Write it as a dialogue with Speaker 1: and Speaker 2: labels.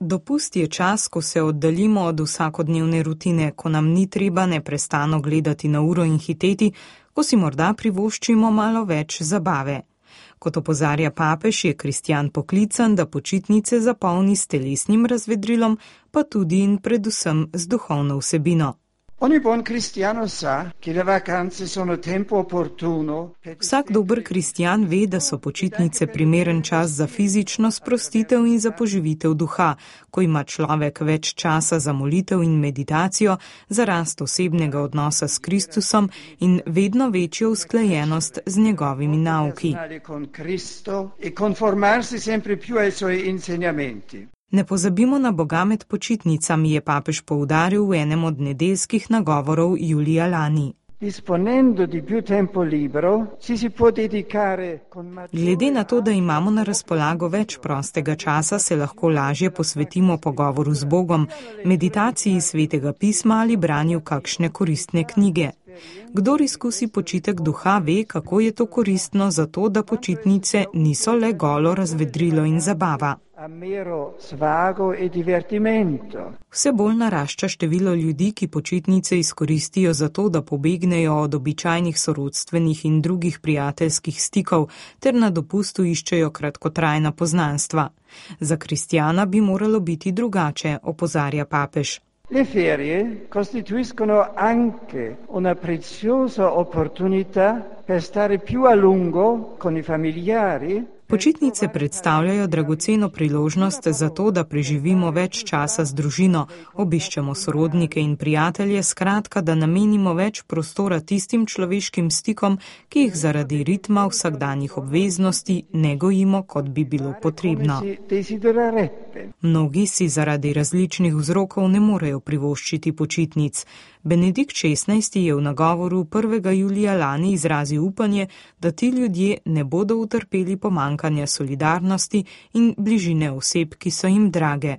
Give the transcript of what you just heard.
Speaker 1: Dopust je čas, ko se oddaljimo od vsakodnevne rutine, ko nam ni treba neprestano gledati na uro in hiteti, ko si morda privoščimo malo več zabave. Kot opozarja papež, je kristjan poklican, da počitnice zapolni s telesnim razvedrilom, pa tudi in predvsem z duhovno vsebino. Vsak dober kristjan ve, da so počitnice primeren čas za fizično sprostitev in za poživitev duha, ko ima človek več časa za molitev in meditacijo, za rast osebnega odnosa s Kristusom in vedno večjo usklajenost z njegovimi nauki. Ne pozabimo na Boga med počitnicami, je papež poudaril v enem od nedeljskih nagovorov julija lani. Glede na to, da imamo na razpolago več prostega časa, se lahko lažje posvetimo pogovoru z Bogom, meditaciji svetega pisma ali branju kakšne koristne knjige. Kdor izkusi počitek duha, ve, kako je to koristno, zato da počitnice niso le golo razvedrilo in zabava. Vse bolj narašča število ljudi, ki počitnice izkoristijo zato, da pobegnejo od običajnih sorodstvenih in drugih prijateljskih stikov ter na dopustu iščejo kratkotrajna poznanstva. Za kristjana bi moralo biti drugače, opozarja papež.
Speaker 2: Le ferie costituiscono anche una preziosa opportunità per stare più a lungo con i familiari.
Speaker 1: Počitnice predstavljajo dragoceno priložnost za to, da preživimo več časa z družino, obiščemo sorodnike in prijatelje, skratka, da namenimo več prostora tistim človeškim stikom, ki jih zaradi ritma vsakdanjih obveznosti ne gojimo, kot bi bilo potrebno. Mnogi si zaradi različnih vzrokov ne morejo privoščiti počitnic. Benedikt XVI je v nagovoru 1. julija lani izrazil upanje, da ti ljudje ne bodo utrpeli pomanjkanja solidarnosti in bližine oseb, ki so jim drage.